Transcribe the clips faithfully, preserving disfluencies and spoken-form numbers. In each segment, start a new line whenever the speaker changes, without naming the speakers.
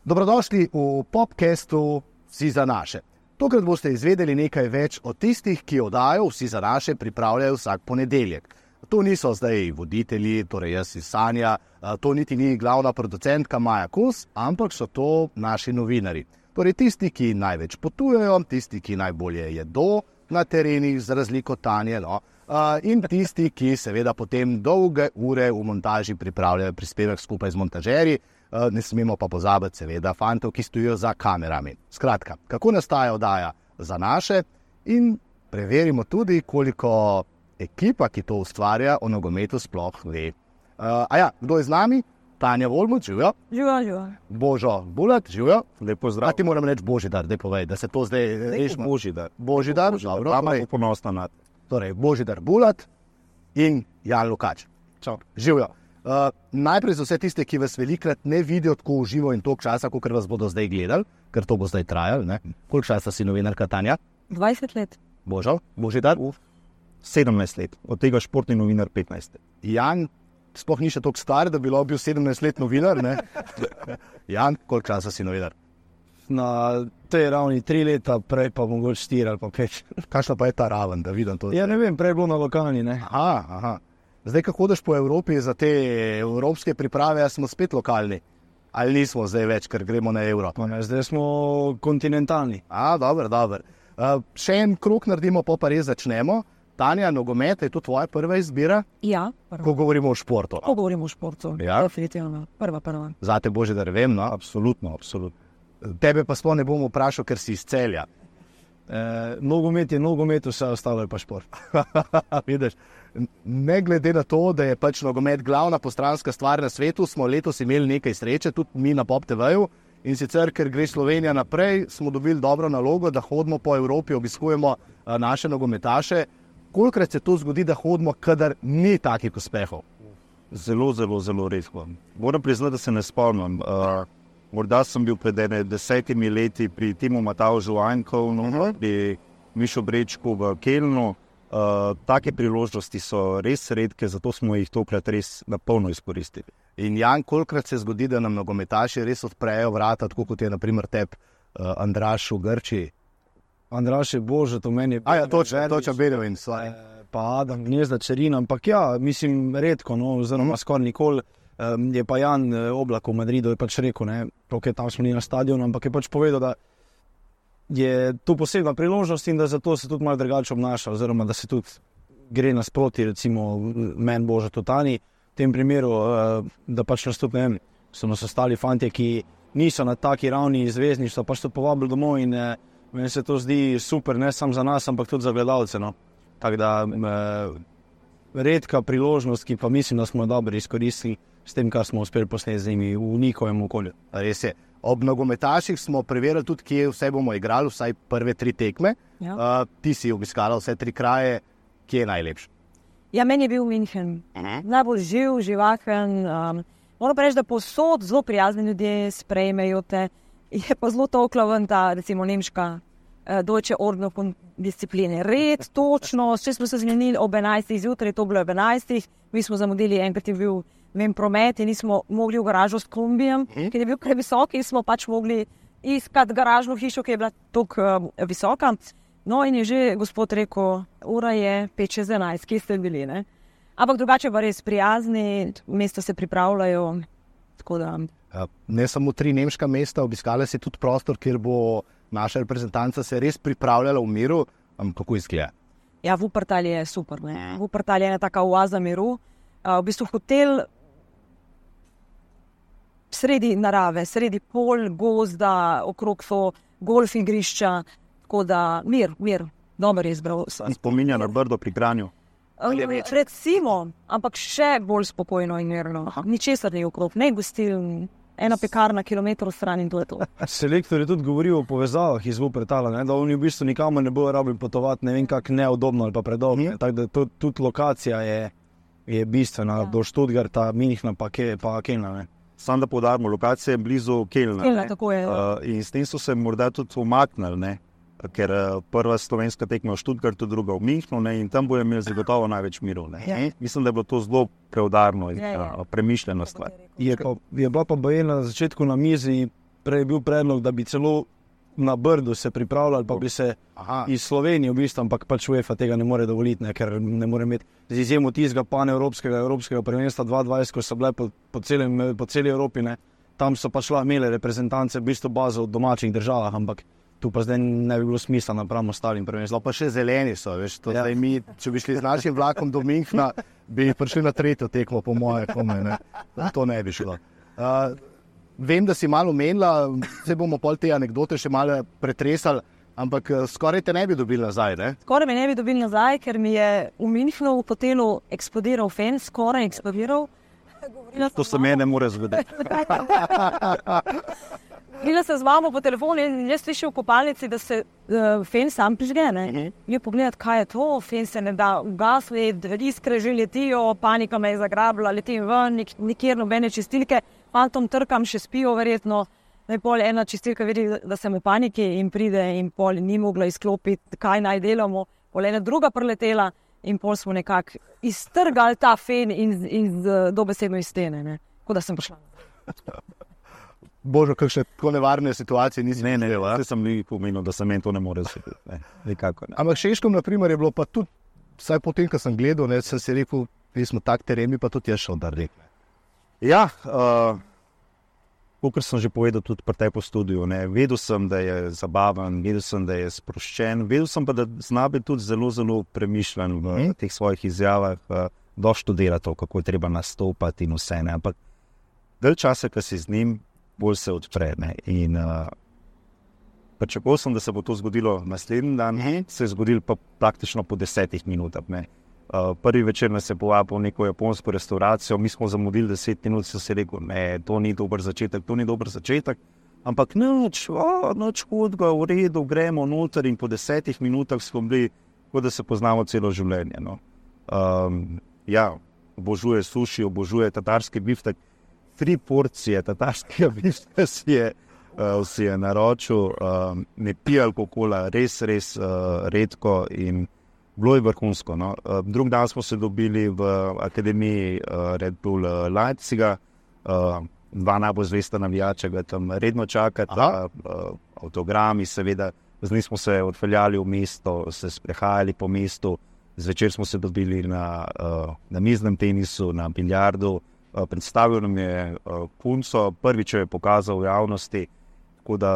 Dobrodošli v podcastu Vsi za naše. Tokrat boste izvedeli nekaj več o tistih, ki oddajo Vsi za naše pripravljajo vsak ponedeljek. To niso zdaj voditelji, torej jaz iz Sanja, to niti ni glavna producentka Maja Kos, ampak so to naši novinari. Torej tisti, ki največ potujejo, tisti, ki najbolje jedo na terenih, za razliko Tanje, no, in tisti, ki seveda potem dolge ure v montaži pripravljajo prispevek skupaj z montažerji. Ne smemo pa pozabiti seveda fantov, ki stojijo za kamerami. Skratka, kako nastaja oddaja Za naše in preverimo tudi, koliko ekipa, ki to ustvarja, o nogometu sploh ve. Uh, a ja, kdo je z nami? Tanja Volmuth, živijo.
Živijo, živijo.
Božo Bulat, živijo.
Lep pozdrav.
A ti moram reči Božidar, daj povej, da se to zdaj rešimo.
Božidar.
Božidar, dobro.
Mama je ponosna nad.
Torej, Božidar Bulat in Jan Lukač.
Čau.
Živijo. Uh, najprej za vse tiste, ki vas velikrat ne vidijo tako v živo in toliko časa, kot vas bodo zdaj gledali, ker to bo zdaj trajalo, ne? Koliko časa si novinarka, Tanja?
dvajset let.
Božo, Božidar?
sedemnajst let, od tega športni novinar petnajst.
Jan, sploh ni še toliko star, da bi lahko bil sedemnajst let novinar, ne? Jan, koliko časa si novinar?
Na tej ravni tri leta, prej pa mogoče štiri ali pa pet.
Kakšna pa je ta raven, da vidim to?
Ja, ne vem, prej je bilo na lokalni, ne?
Aha, aha. Zdaj, ko hodiš po Evropi za te evropske priprave, smo spet lokalni. Ali nismo zdaj več, ker gremo na evro?
Pa ne, zdaj smo kontinentalni.
A, dobro, dobro. Uh, še en krog naredimo, pa pa res začnemo. Tanja, nogomet, je to tvoja prva izbira?
Ja, prva.
Ko govorimo o športu.
Ko govorimo o športu,
ja.
Definitivno, prva, prva.
Zate, Božidar, vem, no?
Absolutno, absolutno.
Tebe pa sploh ne bom vprašal, ker si iz Celja.
E, nogomet je nogomet, vse ostalo je pa šport.
Vidiš, ne glede na to, da je pač nogomet glavna postranska stvar na svetu, smo letos imeli nekaj sreče, tudi mi na Pop T V-ju, in sicer, ker gre Slovenija naprej, smo dobili dobro nalogo, da hodimo po Evropi, obiskujemo naše nogometaše. Kolikrat se to zgodi, da hodimo, kadar ni takih uspehov?
Zelo, zelo, zelo redko. Moram priznati, da se ne spomnim. Uh, morda sem bil pred ene desetimi leti pri Timu Matavžu Ankovnu, uh-huh. pri Mišo Brečku v Kelnu. Uh, take priložnosti so res redke, zato smo jih tokrat res na polno izkoristili.
In Jan, kolikrat se zgodi, da nam nogometaši res odprejo vrata, tako kot je na primer teb uh, Andraš v Grčiji?
Andraš je Božo, to meni je...
A ja, točno, točno Berovin.
E, pa Adam, Gnezda, Čerina, ampak ja, mislim, redko, no, oziroma skoraj nikoli. Um, je pa Jan Oblak v Madridu je pač rekel, ne, ok, tam smo ni na stadionu, ampak je pač povedal, da je to posebna priložnost in da zato se tudi malo drugače obnaša, oziroma da se tudi gre nasproti, recimo meni Božo Totani, v tem primeru, uh, da pač nastup, ne vem, so nas ostali fantje, ki niso na taki ravni zvezdništva, pač so povabili domov in uh, meni se to zdi super, ne samo za nas, ampak tudi za gledalce, no. Tako da uh, redka priložnost, ki pa mislim, da smo dobro izkoristili s tem, kar smo uspeli posneti z njimi v njihovem okolju.
Res je. Ob nogometaših smo preverili tudi, kje vse bomo igrali, vsaj prve tri tekme.
Ja.
Uh, ti si obiskala vse tri kraje, kje je najlepši?
Ja, meni je bil München. Najbolj živ, živahen. Um, moram pa reči, da povsod zelo prijazni ljudje sprejmejo te. Je pa zelo toklaven ta, recimo, nemška uh, Deutsche Ordnung und discipline. Red, točno, če smo se zmenili ob enajstih zjutraj, to bilo ob enajstih, mi smo zamudili, enkrat je bil vem, promet in nismo mogli v garažo s kombijem, hmm. ker je bil previsok in smo pač mogli iskati garažno hišo, ki je bila tako uh, visoka. No in je že gospod rekel, ura je pet čez enajst, kje ste bili, ne? Ampak drugače pa res prijazni, mesta se pripravljajo, tako da...
Ne samo tri nemška mesta, obiskala si tudi prostor, kjer bo naša reprezentanca se res pripravljala v miru. Kako izgleda?
Ja, Wuppertal je super, ne? Wuppertal je ena taka oaza miru. Uh, v bistvu hotel sredi narave, sredi pol, gozda, okrog so golf igrišča, tako da mir, mir, dober je izbral.
Spominja na Brdo pri Kranju.
Um, recimo, ampak še bolj spokojno in mirno. Ničesar ni okrog, ne gostil, ena pekarna kilometrov stran in to je to.
Selektor je tudi govoril o povezavah iz Wuppertala, ne, da oni v bistvu nikamor ne bojo rabili potovati, ne vem kak neudobno ali pa predolgo. Tako da to, tudi lokacija je, je bistvena, ja. Do Stuttgarta, Münchna pa, ke, pa Kelna, ne.
Sam da poudarimo, lokacija je blizu Kelna.
Kelna, tako je.
Uh, in s tem so se morda tudi umaknili, ne. ker prva slovenska tekma v Stuttgartu, druga v Münchnu, ne, in tam bojo imeli zagotovo največ miru. Ja. Mislim, da je bilo to zelo preudarno in ja, ja. premišljeno stvar.
Je, pa, je bila pa bojena na začetku na mizi, prej je bil predlog, da bi celo na Brdu se pripravljali, pa bi se Aha. iz Slovenije v bistvu, ampak pač UEFA tega ne more dovoliti, ne, ker ne more imeti z izjemo tistega panevropskega, evropskega prvenstva dva tisoč dvajset, ko so bile po, po, celem, po celi Evropi, ne, tam so pač imeli reprezentance v bistvu bazo v domačih državah, ampak tu pa zdaj ne bi bilo smisla napravimo ostalim prvenstvom.
Pa še zeleni so, veš, to ja. zdaj mi, če bi šli z našim vlakom do Münchna, bi prišli na tretjo tekmo, po moje, kome, ne. To ne bi šlo. Uh, Vem, da si malo omenila, se bomo pol te anekdote še malo pretresali, ampak skoraj te ne bi dobili nazaj, ne?
Skoraj me ne bi dobili nazaj, ker mi je v Münchnu v hotelu eksplodiral fen, skoraj eksplodiral.
To se mene more zgoditi.
Govorila sem z mamo po telefonu in jaz slišim v kopalnici, da se uh, fen sam prižge, ne? Uh-huh. Je pogledati, kaj je to, fen se ne da ugasniti, iskre že letijo, panika me je zagrabila, letim ven, nik- nikjer nobene čistilke. Fantom trkam, še spijo verjetno, da je pol ena čistilka vidi, da sem v paniki in pride in pol ni mogla izklopiti, kaj naj delamo. Pol ena druga preletela in pol smo nekako iztrgali ta fen in, in dobesedno iz stene, ne. Tako da sem prišla.
Božo, kakšne tako nevarne situacije nisi
Ne, ne,
videla?
vse sem li pomenil, da se meni to ne more zgoditi. Ne, nikako ne.
Ampak Šeškom, na primer, je bilo pa tudi, vsaj potem, ko sem gledal, ne, sem si rekel, mi smo tak teren, mi pa tudi jaz šel dar rekne.
Ja, uh, kot sem že povedal tudi pri tej po studiu, ne, vedel sem, da je zabaven, vedel sem, da je sproščen, vedel sem pa, da zna biti tudi zelo, zelo premišljen v hmm. teh svojih izjavah, uh, doštudira to, kako je treba nastopati in vse, ne, ampak del časa, ko si z njim, bolj se odpre, ne, in uh, pričakoval sem, da se bo to zgodilo naslednji dan, hmm. se je zgodilo pa praktično po desetih minutah, ne. Uh, prvi večer nas je povabil v neko japonsko restauracijo, mi smo zamudili deset minut, so si rekel, ne, to ni dober začetek, to ni dober začetek, ampak nič, o, nič hudega, v redu, gremo noter in po desetih minutah smo bili, kot da se poznamo celo življenje, no. Um, ja, obožuje suši, obožuje tatarski biftek, tri porcije tatarskega biftka si je, uh, si je naročil, um, ne pije alkohola, res, res uh, redko in bilo je vrhunsko. No. Drug dan smo se dobili v akademiji Red Bull Leipziga, dva najbolj zvesta navijača ga tam redno čakata, avtogrami seveda, z njim smo se odpeljali v mesto, se sprehajali po mestu, zvečer smo se dobili na, na miznem tenisu, na biljardu, predstavil nam je punco, prvič jo je pokazal v javnosti, tako da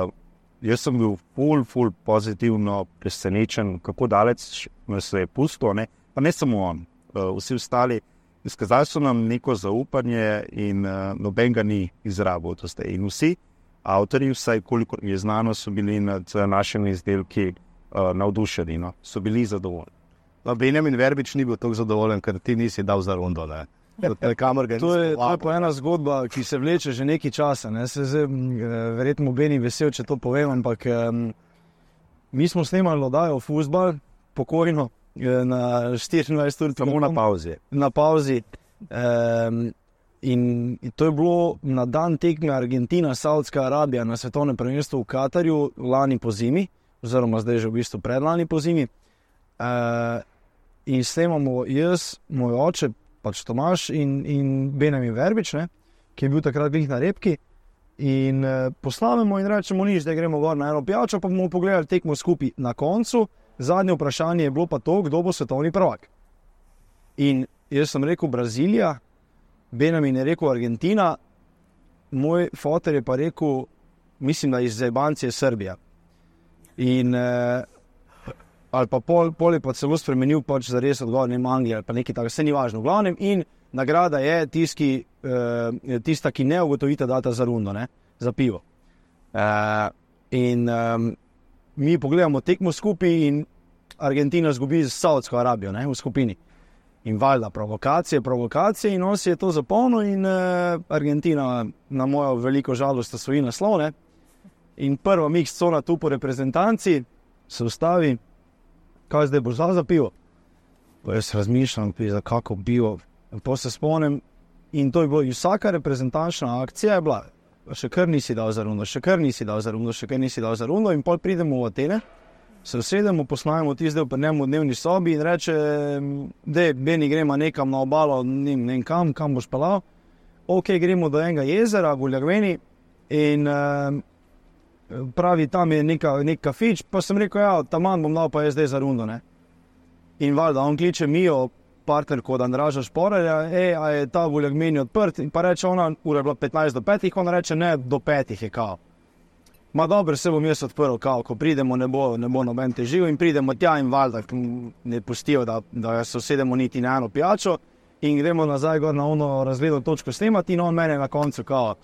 jaz sem bil ful, ful pozitivno presenečen, kako daleč se je pustil, ne? Pa ne samo on, vsi ostali. Izkazali so nam neko zaupanje in uh, noben ga ni izrabil. In vsi avtorji, vsaj koliko je znano, so bili nad našimi izdelki uh, navdušeni, no? So bili zadovoljni.
No, Benjamin Verbič ni bil tako zadovoljen, ker ti nisi dal za rundo, ne?
To je, to je pa ena zgodba, ki se vleče že nekaj časa. Ne? Se zdaj, verjetno Beni vesel, če to povem, ampak um, mi smo snemali oddajo Fuzbal, pokojno, na štiriindvajset ur.
Samo na pauzi.
Na pauzi. Um, in, in to je bilo na dan tekme Argentina-Saudska Arabija na svetovnem prvenstvu v Katarju lani po zimi, oziroma zdaj že v bistvu predlani po zimi. Uh, in snemamo jaz, moj oče, pač Tomaž in, in Benjamin Verbič, ne, ki je bil takrat glih na repki, in uh, poslavimo in rečemo nič, da gremo gor na eno pijačo, pa bomo pogledali tekmo skupaj. Na koncu, zadnje vprašanje je bilo pa to, kdo bo svetovni prvak. In jaz sem rekel Brazilija, Benjamin je rekel Argentina, moj foter je pa rekel, mislim, da iz Zajbancije Srbija. In uh, ali pa pol, pol je pa celo spremenil pač za res odgovor, ne Anglija ali pa nekaj tako, vse ni važno. V glavnem, in nagrada je tiski, uh, tista, ki ne ugotovita data za rundo, ne, za pivo. Uh, in um, mi pogledamo tekmo skupaj in Argentina zgubi z Saudsko Arabijo, ne, v skupini. In valjda provokacije, provokacije in on si je to zapomnil in uh, Argentina na mojo veliko žalost osvoji naslov, ne. In prva mix cona tu po reprezentanci se ustavi, kaj zdaj boš za pivo? Pa jaz razmišljam, za kako pivo. To se spomnim in to je bilo, vsaka reprezentančna akcija je bila, še kar nisi dal za rundo, še kar nisi dal za rundo, še kar nisi dal za rundo in pol pridemo v Atene se usedemo, posnajemo tisti del pri njemu v dnevni sobi in reče, da Beni gremo nekam na obalo, ne vem kam, kam boš pelal. Ok, gremo do enega jezera v Uljagveni in uh, pravi, tam je neka, nek kafič, pa sem rekel, ja, tam bom dal pa jaz zdaj za rundo, ne. In valjda, on kliče Mijo, partnerko od Andraža Šporarja, ej, a je ta v Uljagveni odprt, in pa reče ona, ura je bila petnajst do petih, ona reče, ne, do petih je kao. Ma dobro, se bom jaz odprl, kao, ko pridemo, ne bo, ne bo noben težil in pridemo tja in valjda ne pustijo, da, da se usedemo niti na eno pijačo in gremo nazaj gor na ono razgledno točko snemati in on mene na koncu, kao,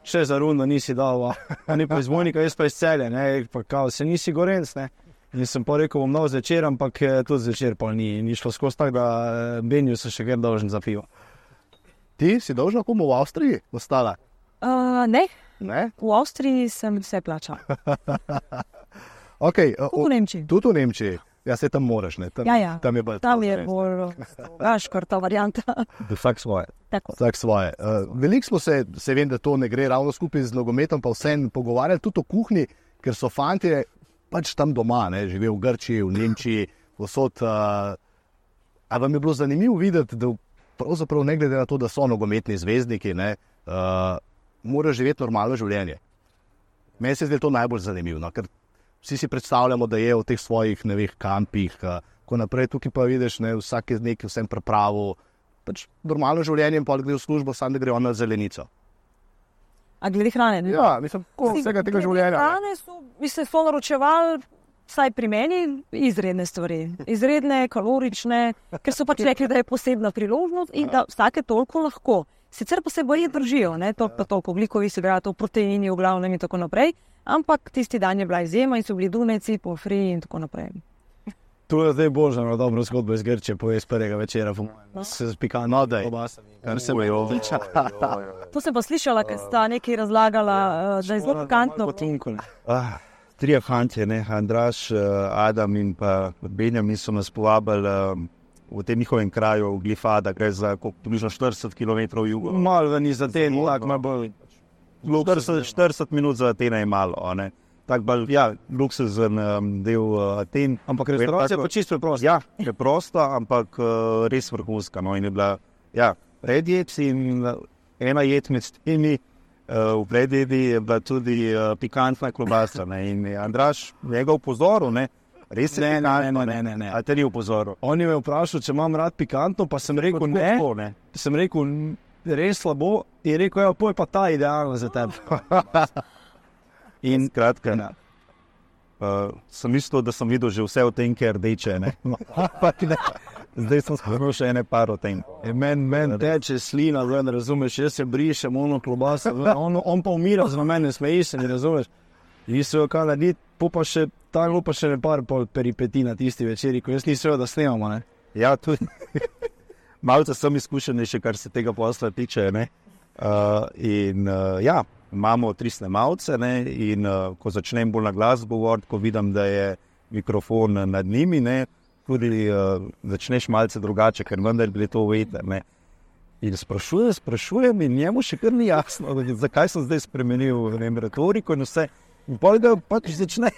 še za rundo nisi dal, a ni pa iz Vojnika, jaz pa iz Celja, ne, pa kao, se nisi Gorenc, ne. In sem pa rekel, bom dal zvečer, ampak tudi zvečer pa ni, ni šlo skozi tak, da Benju se še kar dolžen za pivo.
Ti si dolžna komu v Avstriji ostala?
Uh, ne.
Ne?
V Avstriji sem vse plačal.
Okay,
Tudi v Nemčiji.
Tudi v Nemčiji. Ja, se tam moraš, ne? Tam,
ja, ja.
Tam je bolj,
tam je bolj gaškar ta varianta.
Vsak svoje.
Tako.
Vsak svoje. Uh, veliko smo se, se vem, da to ne gre ravno skupaj z nogometom, pa vsem pogovarjali tudi o kuhinji, ker so fantje pač tam doma, ne? Živijo v Grčiji, v Nemčiji, vsod. Uh, a vam je bilo zanimivo videti, da pravzaprav ne glede na to, da so nogometni zvezdniki, ne, uh, mora živeti normalno življenje. Meni se zdi to najbolj zanimivo, ker vsi si predstavljamo, da je v teh svojih, ne vem, kampih, ko naprej tukaj pa vidiš, ne, vsak je nekaj vsem pripravil, pač normalno življenje in pa gre v službo, sam da gre on na zelenico.
A glede hrane, ne?
Ja, mislim, ko vsega tega življenja.
Hrane so, mislim, so naročevali, vsaj pri meni, izredne stvari. Izredne, kalorične, ker so pač rekli, da je posebna priložnost in da vsake toliko lahko. Sicer pa se boji držijo, ne, toliko pa toliko, ogljikovih hidratov, proteini v glavnem in tako naprej, ampak tisti dan je bila izjema in so bili dunajci, pomfri in tako naprej.
To je zdaj božano dobro zgodbo iz Grčije, povej z prvega večera, no. Se spika no, da je. Kar se bojo.
To sem pa slišala, ker sta nekaj razlagala, da je zelo pikantno.
Ah, trije fantje, ne, Andraž, Adam in pa Benjamin so nas povabili v tem njihovem kraju, v Glifada, gre za približno štirideset kilometrov jugo.
Malo ven iz Aten, tak malo bolj.
štirideset minut za Atena je malo, ne. Tak bolj, ja, luksuzen um, del uh, Aten.
Ampak restauracija je pa čisto preprosta.
Ja, preprosta, ampak uh, res vrhunska, no, in je bila, ja, predjed in uh, ena jed med temi, uh, v predjedi je bila tudi uh, pikantna klobasa, ne, in Andraž njega upozoril, ne, res je
ne,
pikantno,
ne, ne, ne, ne.
A te ni upozoril?
On je me vprašal, če imam rad pikantno, pa sem rekel
Kot
ne,
tako, ne.
sem rekel res slabo in rekel, ja, poj pa ta idealno za tebe.
In skratka, ne. Uh, sem mislil, da sem videl že vse o tem, ker rdeče, ne. ne. Zdaj sem skoro še ene par o tem.
Meni men teče slina, ne razumeš, jaz se brišem, ono klobasa, on, on pa umira za mene, smeji se, ne razumeš. Nisem jo kaj narediti, pa še tam pa še ne par pol peripeti na tisti večeri, ko jaz nisem jo, da snemamo, ne.
Ja, tudi. Malce sem izkušen še, kar se tega posla tiče, ne. Uh, in uh, ja, imamo tri snemalce, ne, in uh, ko začnem bolj na glas govoriti, ko vidim, da je mikrofon nad njimi, ne, tudi uh, začneš malce drugače, ker vendar bili to veter, ne. In sprašujem, sprašujem in njemu še kar ni jasno, zakaj sem zdaj spremenil, ne vem, retoriko in vse. In pol ga pač začne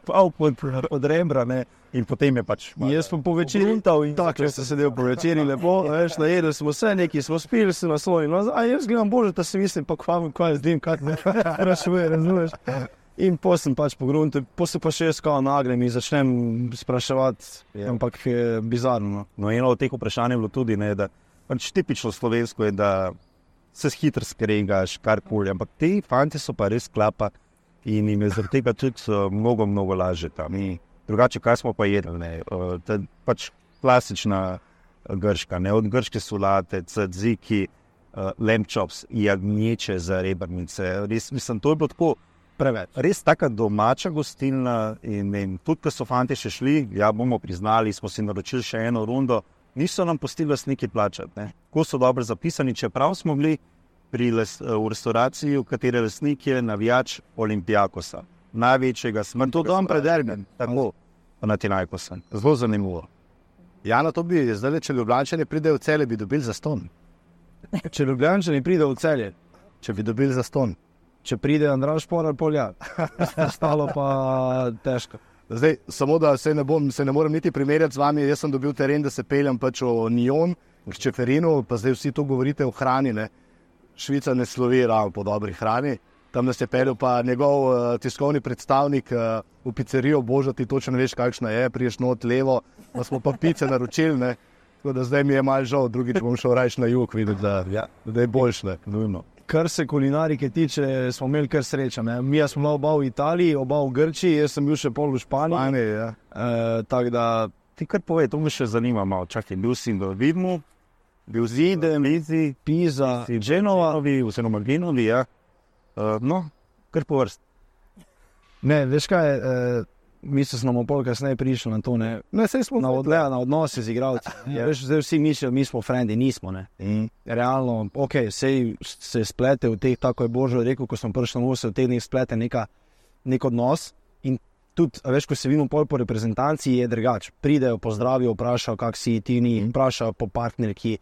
pod, pod rembra, ne, in potem je pač...
Jaz pa po večeri, tako sem sedel po večeri, lepo, veš, najedli smo vse, nekaj smo spili, se naslonili, no, a jaz gledam bože, da se mislim, pa kva, kva jaz dim, kaj ne sprašuje, razumeš. In po sem pač po gruntu, po se pa še jaz kao nagrem in začnem spraševati, yeah. Ampak je bizarno.
No, eno od teh vprašanj je bilo tudi, ne, da pač tipično slovensko je, da se hitro skregaš, karkoli, ampak te fanti so pa res klapa in jim je zaradi tega tudi uh, mnogo, mnogo lažje tam. In drugače, kaj smo pa jedli, ne, uh, ta, pač klasična grška, ne, od grške solate, tzatziki, uh, lamb chops, jagnječe za rebrnice, res, mislim, to je bilo tako preveč. Res taka domača gostilna in, in tudi, ko so fanti še šli, ja, bomo priznali, smo si naročili še eno rundo, niso nam pustili lastniki plačati, ne. Ko so dobro zapisani, čeprav smo bili pri les, v restauraciji, v kateri lastnik je navijač Olympiakosa, največjega smrtnega.
To dom pred derbem.
Tako, Panathinaikosa. Zelo zanimivo.
Jana, to bi zdaj, če Ljubljančani pridejo v Celje, bi dobili zastonj.
Če Ljubljančani pridejo v Celje,
če bi dobili zastonj.
Če pride Andraž Šporar, polja. Stalo pa težko.
Zdaj, samo da se ne, bom, se ne morem niti primerjati z vami, jaz sem dobil teren, da se peljem pač o Nyon, k Čeferinu, pa zdaj vsi to govorite o hrani, ne. Švica ne slovi ravno po dobri hrani, tam nas je peljal pa njegov uh, tiskovni predstavnik uh, v pizzerijo, boža, ti točno ne veš, kakšna je, priješ not levo, pa smo pa pice naročili, ne. Tako da zdaj mi je malo žal, drugič bom šel rajš na jug videti, da, ja, da je boljš, ne, nujno.
Kar se kulinarike tiče, smo imeli kar sreča. Ne? Mi smo bila oba v Italiji, oba v Grčiji, jaz sem bil še pol v Španiji.
Španiji, ja.
E, tako da...
Ti kar povej, to me še zanima malo. Čakaj, bil si v Vidmu, bil Zide, Lizi,
Pisa,
Genova, oziroma Genovi, ja. Uh, no, kar po vrst.
Ne, veš kaj, e, mi se smo pol kasneje prišli na to, ne.
Ne, sej smo
na, odle, na odnose z igralci. Ja. Veš, zdaj vsi mislijo, mi smo frendi, nismo, ne.
Mm.
Realno, ok, sej se splete v teh, tako je Božo rekel, ko smo prišli na se v teh dneh splete neka, nek odnos in tudi, veš, ko se vidimo pol po reprezentanci, je drugač. Pridejo, pozdravijo, vprašajo, kak si ti ni, mm. vprašajo po partnerki,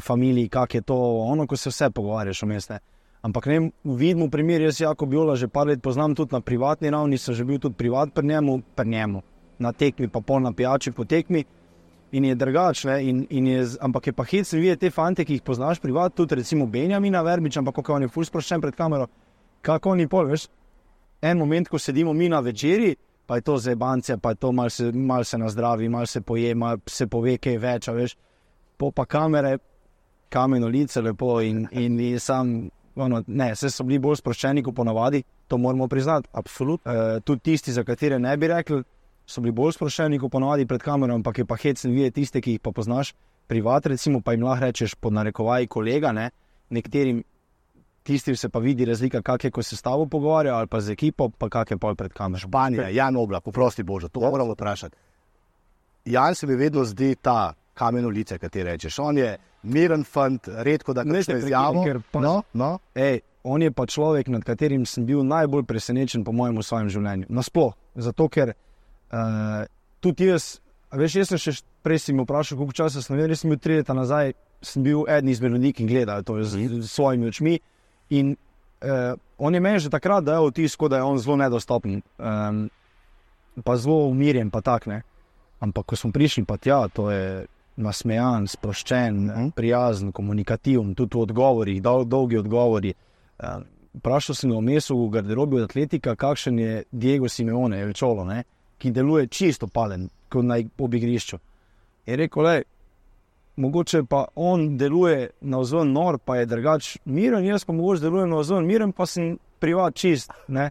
familiji, kak je to, ono, ko se vse pogovarjaš vmes, ne. Ampak ne, vidimo primer, jaz Jako Biola že par let poznam tudi na privatni ravni, sem že bil tudi privat pri njemu, pri njemu, na tekmi, pa pol na pijači po tekmi in je drugač, ne, in, in je, ampak je pa hecno videti te fante, ki jih poznaš privat, tudi recimo Benjamina Verbič, ampak kako on je ful sproščen pred kamero, kako oni pol, veš, en moment, ko sedimo mi na večeri, pa je to zajebancija, pa je to mal se, mal se nazdravi, mal se poje, mal se pove kaj več, veš, po pa kamere, kameno lice lepo in, in, in sam... Ono, ne, vse so bili bolj sproščeni kot ponavadi, to moramo priznati, absolutno. E, tudi tisti, za katere ne bi rekli, so bili bolj sproščeni kot ponavadi pred kamero, ampak je pa hecno videti tiste, ki jih pa poznaš privat, recimo, pa jim lahko rečeš pod narekovaji kolega, ne, nekaterim tistim se pa vidi razlika, kak je, ko se s tabo pogovarja, ali pa z ekipo, pa kak je pol pred kamero.
Španija, Jan Oblak, poprosti Božo, to moramo vprašati. Jan se mi vedno zdi ta kameno lice, kaj ti rečeš, on je miren fant, redko da kakšno izjavo. No, no.
Ej, on je pa človek, nad katerim sem bil najbolj presenečen po mojem v svojem življenju. Nasploh, zato ker uh, tudi jaz, veš, jaz sem še prej si mi vprašal, koliko časa sem vedel, jaz sem bil tri leta nazaj, sem bil eden izmed ljudi, ki gledajo to z, z svojimi očmi in uh, on je meni že takrat dajal vtis, da je on zelo nedostopen, um, pa zelo umirjen, pa tak, ne. Ampak ko smo prišli, pa tja, to je nasmejan, sproščen, mm. prijazen, komunikativen, tudi v odgovorih, dol, dolgi odgovori. Uh, Prašal sem ga vmes v garderobi od atletika, kakšen je Diego Simeone, El Cholo, ne, ki deluje čisto palen, kot na ob igrišču. Je rekel, le, mogoče pa on deluje navzven nor, pa je drugač miren, jaz pa mogoče delujem navzven miren, pa sem privat čist, ne.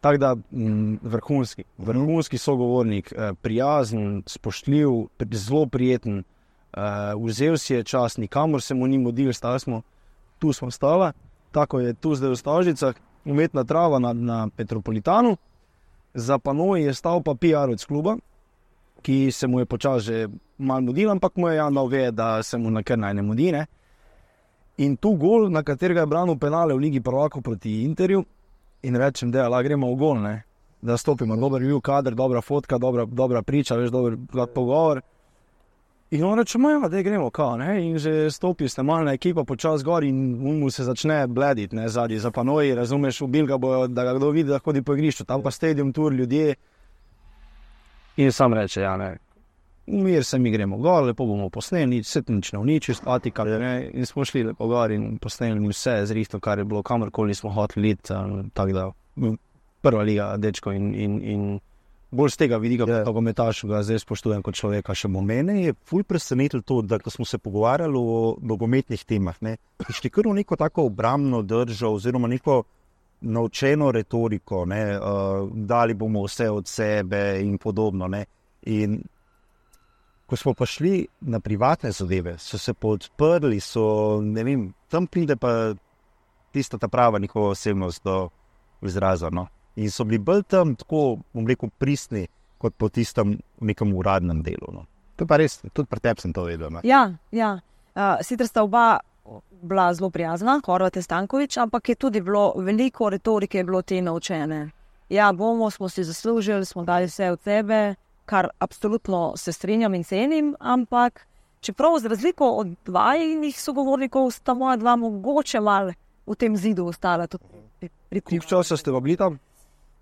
Tako da m, vrhunski, vrhunski sogovornik, eh, prijazen, spoštljiv, zelo prijeten, eh, vzel si je čas, nikamor se mu ni modil, stali smo, tu smo stala, tako je tu zdaj v Stožicah, umetna trava na, na Petropolitanu, za panoji je stal pa P R od kluba, ki se mu je počas že malo mudil, ampak mu je Jan dal ve, da se mu na kar naj ne mudi, ne. In tu gol, na katerega je branil penale v Ligi prvakov proti Interju, in rečem, da la gremo v gol, ne, da stopimo, dober bil kader, dobra fotka, dobra, dobra priča, veš, dober pogovor. In on reče, ja, da gremo, kao, ne, in že stopi snemalna ekipa počas gor in mu se začne blediti, ne, zadnji za panoji, razumeš, ubil ga bojo, da ga kdo vidi, da hodi po igrišču, tam pa stadium tour, ljudje. In sam reče, ja, ne, mir se mi gremo gor, lepo bomo posneli, se nič ne uniči, statika, ne, in smo šli lepo gor in posneli vse zrihto, kar je bilo, kamorkoli smo hoteli iti, tako da, prva liga, dečko, in, in, in bolj z tega vidika, yeah. Nogometašu ga zdaj spoštujem kot človeka še bo.
Mene je ful presenetilo to, da ko smo se pogovarjali o nogometnih temah, ne, šli kar v neko tako obrambno držo, oziroma neko naučeno retoriko, ne, uh, dali bomo vse od sebe in podobno, ne, in ko smo pa šli na privatne zadeve, so se podprli, so, ne vem, tam pride pa tista ta prava njihova osebnost do izraza, no. In so bili bolj tam tako, bom rekel, pristni, kot po tistem nekem uradnem delu, no.
To pa res, tudi pri tebi sem to vedel, ne.
Ja, ja. Uh, sicer sta oba bila zelo prijazna, Horvat in Stanković, ampak je tudi bilo veliko retorike je bilo te naučene. Ja, bomo, smo si zaslužili, smo dali vse od sebe, kar absolutno se strinjam in cenim, ampak čeprav z razliko od dvajnih sogovornikov sta moja dva mogoče malo v tem zidu ostala.
Koliko časa ste bili tam?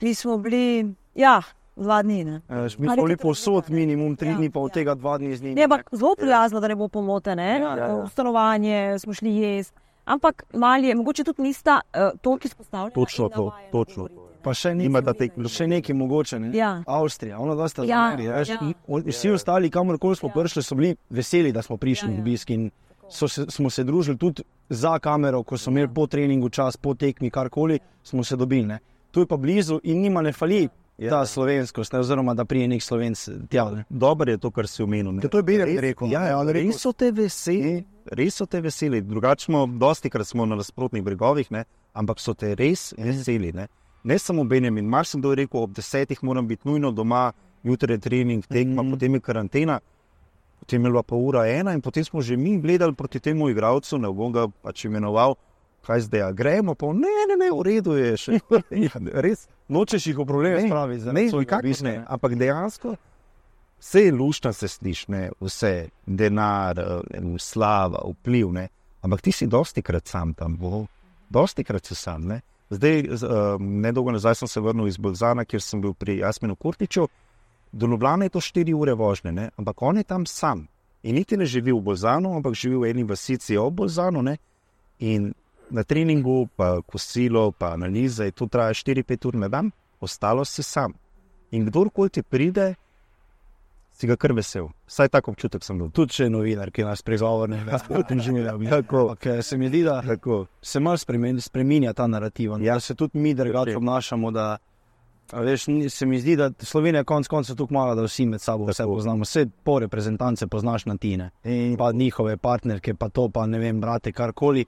Mi smo bili, ja, dva dni. Ne?
Uh, mi smo bili povsod minimum tri dni, pa od tega dva dni z njimi.
Ne, ampak zelo prijazno, da ne bo pomote, ne?
Ja, ja, ja.
V stanovanje smo šli jesti, ampak mali je, mogoče tudi nista uh, toliko izpostavljena.
Točno to, točno.
Pa še, neki, še nekaj mogoče, ne?
Ja.
Avstrija, ono dosta
Ja,
zameri.
ja.
Vsi ostali, kamorkoli smo prišli, so bili veseli, da smo prišli
Ja, ja.
v obisk in so se, smo se družili tudi za kamero, ko so imeli po treningu čas, po tekmi, karkoli, smo se dobili. Ne? Tu je pa blizu in njima ne fali
Ja.
ta slovenskost, ne? Oziroma da prije nek Slovenc tja. Ne?
Dobro je to, kar si omenil. ne.
To je Benjamin rekel.
Ja, ja, res so te veseli, res so te veseli. Drugače smo, dosti krat smo na nasprotnih bregovih, ne? Ampak so te res veseli. Ne, ne samo Benjamin, marsikdo je rekel, ob desetih moram biti nujno doma, jutri je trening, tekma, mm-hmm. potem je karantena, potem je bila pa ura ena in potem smo že mi gledali proti temu igralcu, ne bom ga pač imenoval, kaj zdaj, a gremo, pa ne, ne, ne, v redu je še. Ja, res,
Nočeš jih v probleme
Ne,
spravi za
ne,
svoj
nikakor
obisk,
ne, ampak dejansko vse je luštno, se sliši, ne, vse, denar, eh, slava, vpliv, ne, ampak ti si dosti krat sam tam, bo, dosti krat si sam, ne. Zdaj, z, uh, nedolgo nazaj sem se vrnil iz Bolzana, kjer sem bil pri Jasminu Kurtiču, do Ljubljane je to štiri ure vožnje, ne, ampak on je tam sam in niti ne živi v Bolzanu, ampak živi v eni vasici ob Bolzanu, ne, in na treningu, pa kosilo, pa analize, to traja štiri pet ur na dan, ostalo si sam. In kdorkoli ti pride, si ga kar vesel. Vsaj tak občutek sem bil.
Tudi če je novinar, ki nas pregovorne, da se mi zdi, da
Tako.
se malo spremen, spreminja ta narativ, ja. Da se tudi mi drugače obnašamo, da a veš, ni- se mi zdi, da Slovenija konc konca tako mala, da vsi med sabo vse
Tako.
poznamo, vse po reprezentance poznaš na tine, pa njihove partnerke, pa to, pa ne vem, brate, karkoli,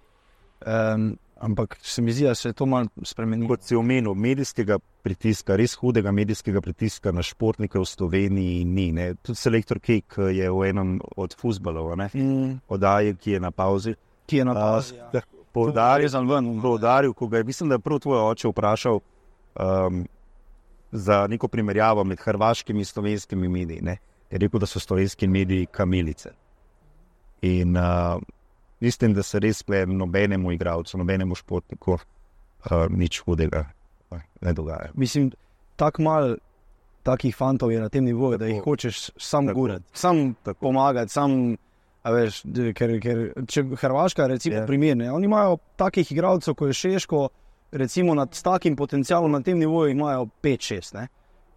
um, ampak se mi zdi, da se je to malo spremenilo.
Kot si omenil, medijskega pritiska, res hudega medijskega pritiska na športnike v Sloveniji ni. Ne. Tudi selektor Kek je v enem od fuzbalov, ne,
Mm,
oddaji, ki je na pauzi,
ki je na
a,
pauzi, ja.
poudaril,
Rezan ven,
poudaril, ko ga je, mislim, da je prav tvoj oče vprašal um, za neko primerjavo med hrvaškimi in slovenskimi mediji. Ne. Je rekel, da so slovenski mediji kamilice. In uh, mislim, da se res ple nobenemu igralcu, nobenemu športniku uh, nič hudega uh, ne dogaja.
Mislim, tako malo takih fantov je na tem nivoju, da
Tako.
jih hočeš sam
Tako.
gurati, sam
Tako.
pomagati, sam, a veš, d- ker, ker če Hrvaška, recimo,
Ja.
primer, ne, oni imajo takih igralcev, ko je Šeško, recimo, nad, s takim potencialom na tem nivoju jih imajo pet šest, ne.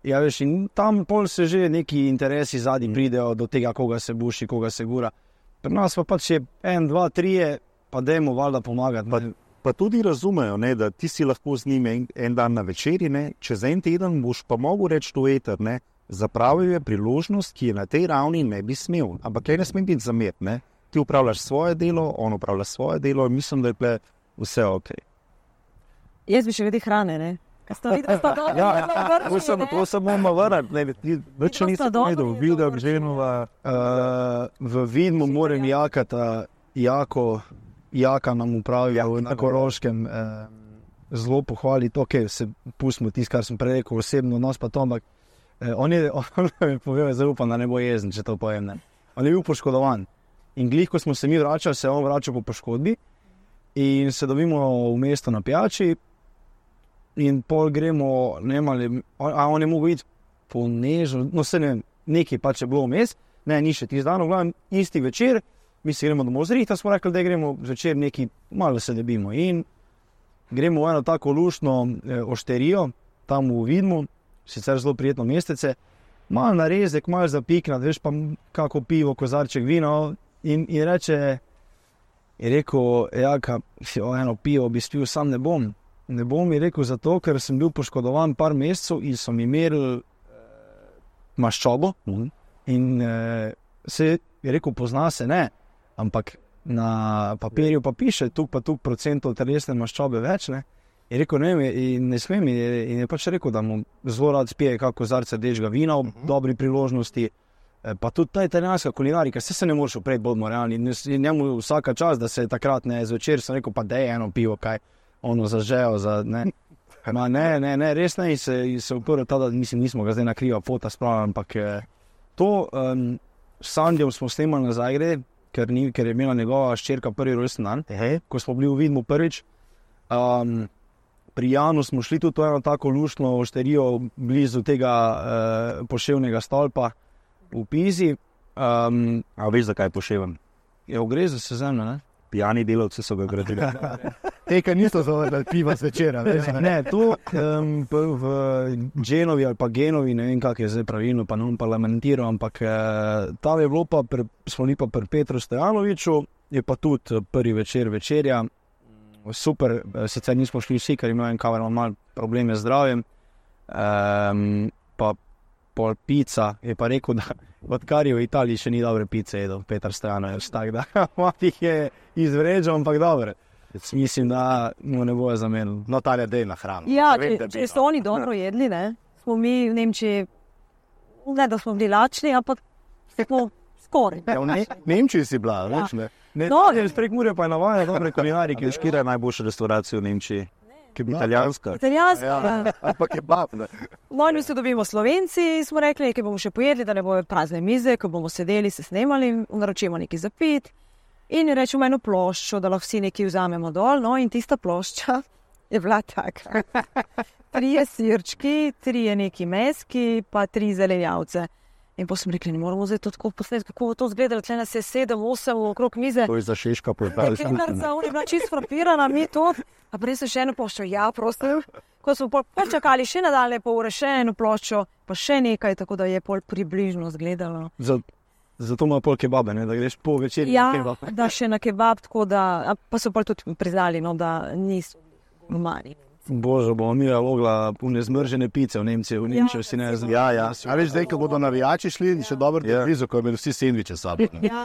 Ja, veš, in tam pol se že neki interesi zadnji
Mm.
pridejo do tega, koga se buši, koga se gura. Pri nas pa pač je en, dva, trije, pa dajmo valjda pomagati.
Pa-
ne.
Pa tudi razumejo, ne, da ti si lahko z njimi en, en dan na večerji, ne, čez en teden boš pa mogel reči to eter, ne, zapravil je priložnost, ki je na tej ravni ne bi smel. Ampak kaj ne sme biti zamet, ne. Ti upravljaš svoje delo, on upravlja svoje delo in mislim, da je ple vse ok.
Jaz bi še vedel hrane, ne? Kaj sta videla, sta dobro,
Ja,
zelo vrši,
to sem,
ne?
to sem moramo vrniti, ne, ti, več
to sta
nisem
dobri,
vedel,
zelo
videl
vrši,
ženova,
Uh, v Vidmu moram jakata, jako, jaka nam upravlja
Ja,
na
tako.
Koroškem, uh, zelo pohvali to, okay, se pustimo tisto, kar sem prej rekel, osebno nos pa to, ampak uh, on je, on je povedal, zelo upam, da ne bo jezen, če to povem, ne. On je bil poškodovan in glih, ko smo se mi vračali, se je on vračal po poškodbi in se dobimo v mesto na pijači in pol gremo, ne vem, ali, a on je mogel iti po nežno, no se ne vem, nekaj pač je bilo vmes, ne, ni še tisti dan, v glavnem, isti večer, mi se gremo domov zrihta, smo rekli, da gremo zvečer neki, malo se debimo in gremo v eno tako luštno eh, ošterijo, tam v Vidmu, sicer zelo prijetno mestece, malo narezek, malo zapiknat, veš, pa m- kako pivo, kozarček vina in, in reče, je rekel, jaka, jo, eno pivo bi spil, sam ne bom. Ne bom, je rekel, zato, ker sem bil poškodovan par mesecev in so mi merili maščobo in eh, se je rekel, pozna se ne, ampak na papirju pa piše, tuk pa tuk procentov telesne maščobe več, ne. Je rekel, ne vem, in ne smem, in je, in je pač rekel, da mu zelo rad spije kako kozarce rdečega vina ob dobri priložnosti, eh, pa tudi ta italijanska kulinarika, vse se ne moreš upreti, bodimo realni, in s- in njemu vsaka čas, da se takrat ne zvečer, sem rekel, pa dej eno pivo, kaj, ono zažejo, za, ne. Ma, ne, ne, ne, res ne, in se, in se uprl ta, da mislim, nismo ga zdaj na kriva fota spravili, ampak eh, to um, s Sandjem smo snemali na Zagreb, ker, ni, ker je imela njegova ščerka prvi rojsten dan,
Ehej.
ko smo bili v Vidmu prvič. Um, pri Janu smo šli tudi v eno tako luštno ošterijo blizu tega uh, poševnega stolpa v Pizi. Um,
A veš, zakaj poševen?
Je v gre za sezemno, ne?
Pijani delavci so ga gradili.
Te, ki niso zavrnili piva zvečera.
Ne, to um, v Genovi ali pa Genovi, ne vem, kak je zdaj pravilno, pa non parlamentiral, ampak uh, tam je bilo pa, pre, smo bili pa pri Petru Stojanoviču, je pa tudi prvi večer večerja. Super, sicer nismo šli vsi, ker imel en kamer malo probleme z zdravjem. Um, pa pol pica je pa rekel, da odkar je v Italiji še ni dobre pice jedel, Petar Stojanovič, tako da jih je izvređal, ampak dobre. Mislim, da mu ne bojo zamenili.
No, Tanja, dej na hrano.
Ja, če, če so oni dobro jedli, ne, smo mi v Nemčiji, ne da smo bili lačni, ampak smo skoraj.
Ja, v ne, Nemčiji si bila, ja. Več ne.
Ne,
No.
no, Sprek Mure pa je navaja dobre kulinarike.
Kira je najboljša restauracija v Nemčiji? Italijanska.
Italijanska.
Ja,
Ja.
ampak je bab, ne.
No, in mi se dobimo Slovenci, smo rekli, nekaj bomo še pojedli, da ne bojo prazne mize, ko bomo sedeli, se snemali, naročimo nekaj za pit in rečemo eno ploščo, da lahko vsi nekaj vzamemo dol, no, in tista plošča je bila taka. Trije sirčki, trije neki meski, pa tri zelenjavce. In potem smo rekli, ne moramo zdaj to tako posneti, kako bo to izgledalo, tle nas je sedem, osem okrog mize.
To je za Šeška portal.
Pekarca, on je bila čisto frapirana, mi to, a prej sem še eno ploščo, ja, prosim. Ko smo pol počakali še nadaljne pol ure, še eno ploščo, pa še nekaj, tako da je pol približno izgledalo.
Zato ima pol kebabe, ne, da greš po večerji
Ja,
na kebab.
da še na kebab, tako da, a pa so pol tudi priznali, no, da niso gurmani.
Bože, bomo mi mogla pune zmržene pice v Nemčiji, v Nemčiji si ne znam.
Ja, ja. A veš, zdaj, ko bodo navijači šli, še dobro
Ja.
yeah. blizu, ko imeli vsi sendviče s sabo. ne.
Ja,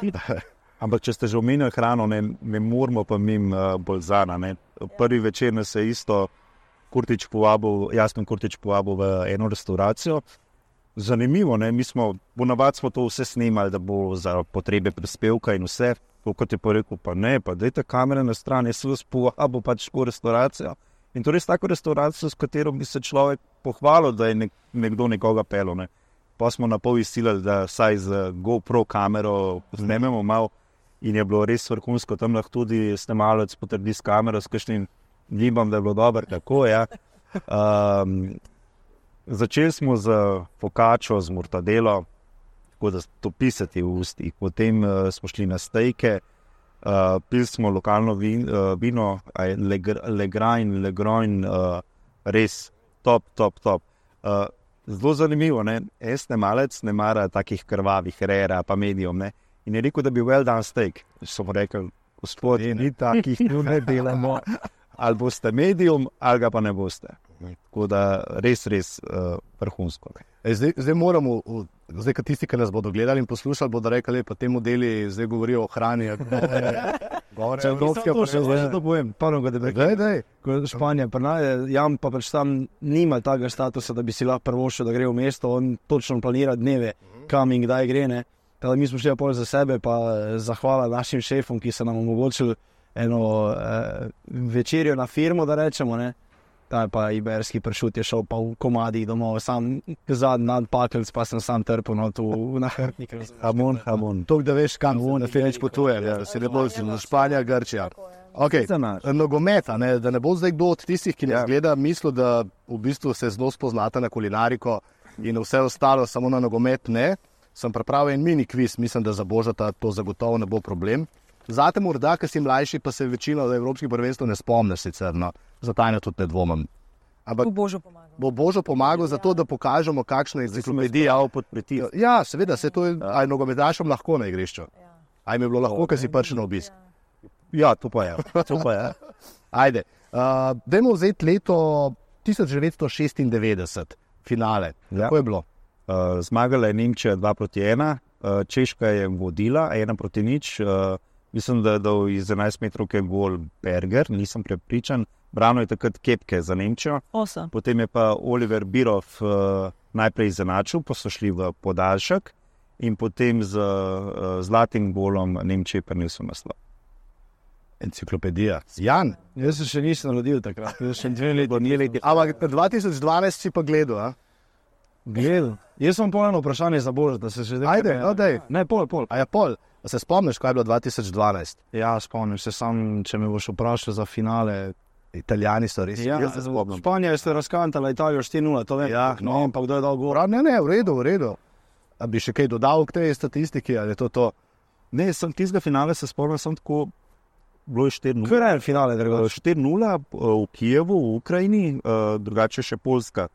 Ampak če ste že omenili hrano, ne, ne moramo pa mim uh, bolzana. Ne. Prvi večer nas je isto Kurtič povabil, Jasmin Kurtič povabil v eno restauracijo. Zanimivo, ne, mi smo, ponavadi smo to vse snemali, da bo za potrebe prispevka in vse. To, kot je pa rekel, pa ne, pa dajte kamere na stran, jaz sem vas povabil pač v restauracijo. In to res tako restauracijo, s katero bi se človek pohvalil, da je nek, nekdo nekoga pelil. Ne. Pa smo na pol izsilili, da vsaj z GoPro kamero snememo malo in je bilo res vrhunsko. Tam lahko tudi snemalec potrdi s kamero, s kakšnim gibam, da je bilo dobro, tako ja. Um, začeli smo z fokačo, z mortadelo, tako da to pisati v ustih. Potem uh, smo šli na stejke, Uh, pili smo lokalno vin, uh, vino, Legrain, Legroin, uh, res top, top, top. Uh, zelo zanimivo, ne? Jaz snemalec ne mara takih krvavih, rera, pa medium, ne? In je rekel, da bi well done steak. Smo rekli, gospod, ni takih, tu ne delamo. Ali boste medium, ali ga pa ne boste. Tako da res, res uh, vrhunsko.
E, zdaj, zdaj moramo, v- zdaj, ko tisti, ki nas bodo gledali in poslušali, bodo rekli, pa te modeli zdaj govorijo o hrani. Govore evropske
To še
pa
to povem, prvo, da bi
Daj, daj.
ko je Španija prinaje, Jan pa pač tam nima takega statusa, da bi si lahko prvošel, da gre v mesto, on točno planira dneve, kam in kdaj gre, ne. Teda mi smo šli pol za sebe, pa eh, zahvala našim šefom, ki so nam omogočili eno eh, večerjo na firmo, da rečemo, ne. Ta je pa iberski pršut je šel pa v komadih domov, sam zadnji nadpakelc, pa sem sam trpel no, tu v nahrbnik.
Hamon, hamon.
To, da veš, kam se ne več potuje, ja, se ne bo z Španija, Grčija. Okay.
Za nas.
Nogometa, ne, da ne bo zdaj kdo od tistih, ki nas
Ja.
gleda, mislil, da v bistvu se zelo spoznate na kulinariko in vse ostalo, samo na nogomet ne. Sem pripravil en mini kviz, mislim, da za Božata to zagotovo ne bo problem. Zate morda, ker si mlajši, pa se večino evropskih prvenstv ne spomniš sicer, no. Za Tanjo tudi ne dvomim. Ampak
bo Božo pomagal.
bo Božo pomagal za to, da pokažemo, kakšna je enciklopedija.
pod pritisk.
Ja, seveda, se to je, a je nogometašem lahko na igrišču. A jim je bilo lahko, ker si prišel na obisk.
Ja, to pa je. To pa je.
Ajde, uh, dajmo vzeti leto tisoč devetsto šestindevetdeset, finale.
Ja.
Kako je bilo?
Uh, zmagala je Nemčija dva proti ena, uh, Češka je vodila ena proti nič. Uh, mislim, da je dal iz enajst metrovke gol Berger, nisem prepričan. Brano je takrat Kepke za Nemčijo.
Osem.
Potem je pa Oliver Birov uh, najprej izenačil, pa so šli v podaljšek in potem z uh, zlatim golom Nemčije prinesel naslov.
Enciklopedija. Jan,
Jaz se še nisem rodil takrat, jaz še dve leti.
ampak dva tisoč dvanajst si pa gledal, a?
Gledal. Jaz sem pol eno vprašanje za Boža, da se že...
Ajde, no daj.
Ne, pol, pol.
A je pol? A se spomniš, kaj je bilo dva tisoč dvanajst?
Ja, spomnim se sam, če me boš vprašal za finale,
Italijani so res.
Ja,
jaz se spomnim.
Španija je razkantala Italijo štiri nula, to vem.
Ja,
no, ampak kdo je dal gol?
Ne, ne, v redu, v redu. A bi še kaj dodal k tej statistiki, ali je to to?
Ne, sem tistega finale se spomnil, sem tako, bilo je štiri nula.
Kaj je finale, drugo?
štiri nula v Kijevu, v Ukrajini, drugače še Poljska.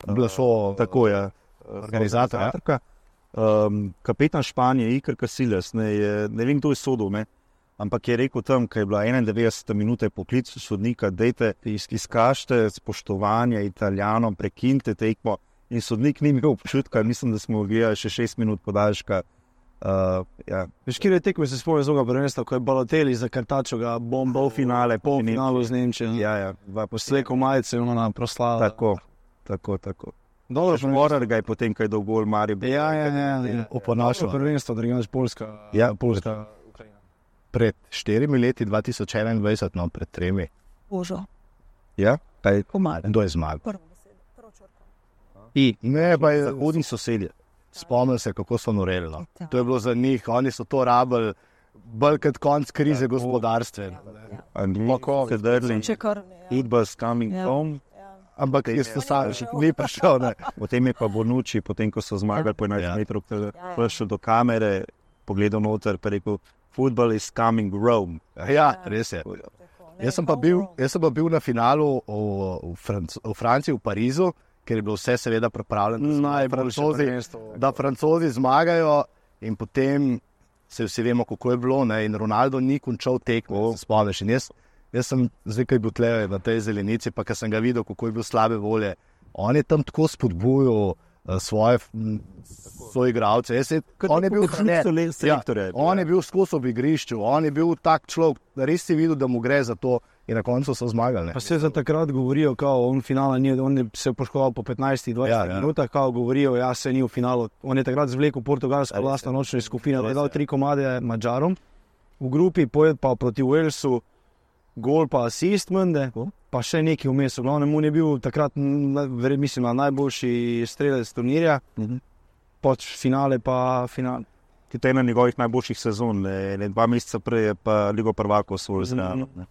Bila so
tako, ja.
Organizatorka.
Um, kapetan Španije, Iker Casillas, ne, je, ne vem, kdo je sodil, ne, ampak je rekel tam, ko je bila enaindevetdeseta minuta poklic sodnika, dejte, izkažite spoštovanje Italijanom, prekinite tekmo, in sodnik ni imel občutka, mislim, da smo gledali še šest minut podaljška. Uh, ja.
Veš, kjer je tekmo, se spomnim zoga prvenstva, ko je Balotelli za Kartačo ga bomba v finale, pol finalu z Nemčijo.
Ja, ja.
Posleko majice, ono nam proslava.
Tako, tako, tako.
Dobro,
Morar ga je potem, kaj do gol Maribor.
Ja, ja, ja. ja.
Oponašal.
Prvenstvo, drugač Poljska.
Ja,
Poljska, Ukrajina.
Pred štirimi leti, dva tisoč enaindvajset, no, pred tremi.
Božo.
Ja, kaj?
Kdo je zmagal?
I,
ne, pa je
zahodni sosedje.
Spomnim se, kako so noreli. No. To je bilo za njih, oni so to rabili, bolj kot konc krize ja, gospodarstva.
Lahko, sedrli, Udbas coming ja. home.
Ampak jaz to sam še ni prišel. Ne.
Potem je pa Bonucci, potem ko so zmagali po enajst ja. metrov, prišel do kamere, pogledal noter, pa rekel, football is coming Rome.
Ja, res je. Jaz sem pa bil, jaz sem pa bil na finalu v, v, Franc v Franciji, v Parizu, ker je bilo vse seveda pripravljeno, Francozi, da Francozi zmagajo in potem se vsi vemo, kako je bilo, ne, in Ronaldo ni končal tekmo, se spomniš, in jaz Jaz sem zdaj, kaj bil tle na tej zelenici, pa ko sem ga videl, kako je bil slabe volje, on je tam tako spodbujal uh, svoje soigralce. On je bil selektor. Ja, on je bil skozi ob igrišču, on je bil tak človek, da res si videl, da mu gre za to in na koncu so zmagali. Ne.
Pa se za takrat govorijo, kao on finala ni, on je se poškodoval po petnajstih dvajsetih ja, ja. minutah, kao govorijo, ja se ni v finalu. On je takrat zvlekel Portugalsko vlastno nočno skupino, da je dal tri komade Mađarom v grupi, pojed pa proti Walesu, gol pa asist mende, pa še nekaj vmes. V glavnem, on je bil takrat, mislim, najboljši strelec turnirja, uh-huh. Poč finale pa finale.
To je ena njegovih najboljših sezon, ne, ne, dva meseca prej je pa Ligo prvakov svoj znal.
Uh-huh.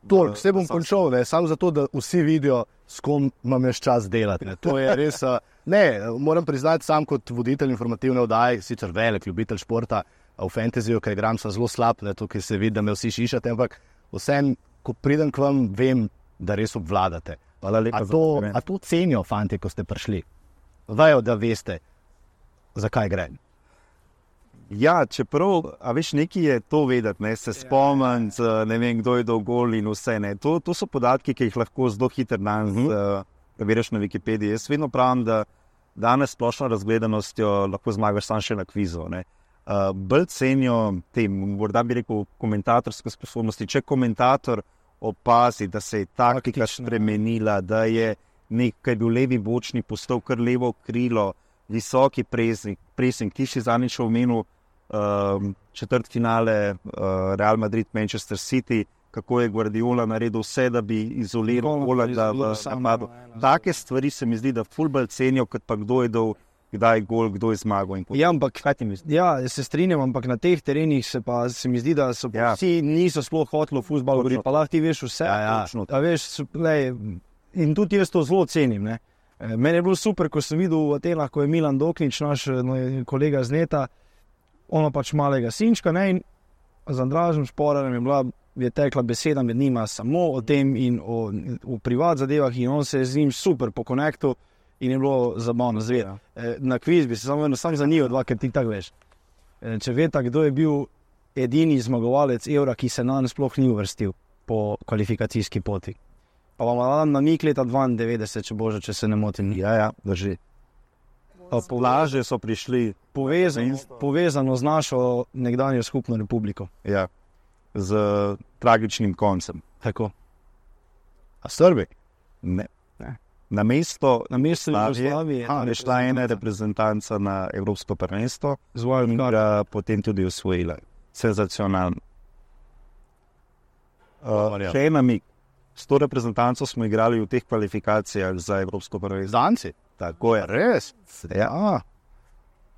Toliko, vse bom končal, ne, samo zato, da vsi vidijo, s kom imam jaz čas delati. Ne. To je res, ne, moram priznati, sam kot voditelj informativne oddaje, sicer velik ljubitelj športa, v fantasyju, ker igram sem zelo slab, ne, tukaj se vidi, da me vsi šišate, ampak vsem, ko pridem k vam, vem, da res obvladate. A to, a to cenijo fanti, ko ste prišli? Vejo, da veste, zakaj gre.
Ja, čeprav, a veš, nekaj je to vedeti, ne, se spomnim, ne vem, kdo je dal gol in vse, ne. To, to so podatki, ki jih lahko zelo hitro dan uh-huh. uh, preveriš na Wikipediji. Jaz vedno pravim, da danes splošno razgledanostjo lahko zmagaš sam še na kvizu, ne. Uh, bolj cenijo tem, morda bi rekel, komentatorske sposobnosti. Če komentator opazi, da se je taktika spremenila, da je nekaj bil levi bočni postal kar levo krilo, visoki presing, presing ti si zadnjič omenil uh, četrt finale uh, Real Madrid, Manchester City, kako je Guardiola naredil vse, da bi izoliral gola, da v napadu. Take stvari se mi zdi, da ful bolj cenijo, kot pa kdo je dal kdaj gol, kdo je zmagal.
Ja, ampak, ja, se strinjam, ampak na teh terenih se pa se mi zdi, da so ja. vsi niso sploh hoteli v fuzbal govoriti, pa lahko ti veš vse. Ja, ja. A veš, lej, in tudi jaz to zelo cenim. Ne. Meni je bilo super, ko sem videl v Atenah, ko je Milan Doknič, naš no, kolega z Neta, ono pač malega sinčka, ne, in z Andražem Šporarjem je bila, je tekla beseda med njima samo o tem in o, o privat zadevah in on se je z njim super pokonektil. In je bilo zabavno zvedeti. Na kviz bi se samo eno sam zanil, dva, ker ti tako veš. Če veta, kdo je bil edini zmagovalec Evra, ki se nam sploh ni uvrstil po kvalifikacijski poti. Pa vam dam namik leta dvaindevetdeset, če bože, če se ne motim.
Ja, ja, drži. Laže so prišli.
Povezano, povezano z našo nekdanjo skupno republiko.
Ja, z tragičnim koncem.
Tako.
A Srbi?
Ne. Na mesto,
na mesto Jugoslavije
je šla ena reprezentanca na Evropsko prvenstvo, in ga potem tudi osvojila. Senzacionalno. Uh, še en namig. S to reprezentanco smo igrali v teh kvalifikacijah za Evropsko prvenstvo.
Danci?
Tako je.
Res?
Ja.
A,